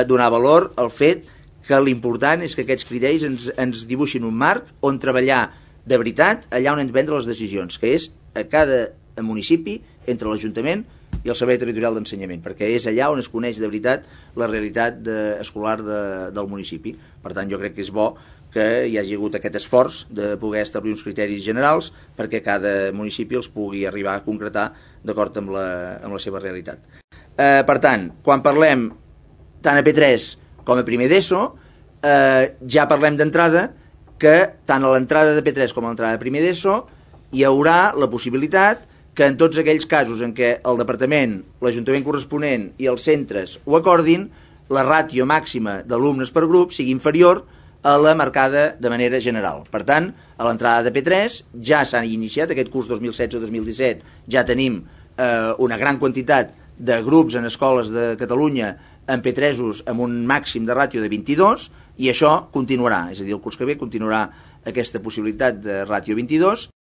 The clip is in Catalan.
donar valor al fet que l'important és que aquests criteris ens dibuixin un marc on treballar de veritat allà on hem de prendre les decisions, que és a cada municipi, entre l'Ajuntament i el Servei Territorial d'Ensenyament, perquè és allà on es coneix de veritat la realitat escolar del municipi. Per tant, jo crec que és bo que hi hagi hagut aquest esforç de poder establir uns criteris generals perquè cada municipi els pugui arribar a concretar d'acord amb la seva realitat. Per tant, quan parlem tant a P3 com a primer d'ESO, ja parlem d'entrada que tant a l'entrada de P3 com a l'entrada de primer d'ESO hi haurà la possibilitat que en tots aquells casos en què el departament, l'Ajuntament corresponent i els centres ho acordin, la ràtio màxima d'alumnes per grup sigui inferior a la marcada de manera general. Per tant, a l'entrada de P3 ja s'ha iniciat, aquest curs 2016-2017, ja tenim una gran quantitat de grups en escoles de Catalunya en P3 amb un màxim de ràtio de 22, i això continuarà, és a dir, el curs que ve continuarà aquesta possibilitat de ràtio 22,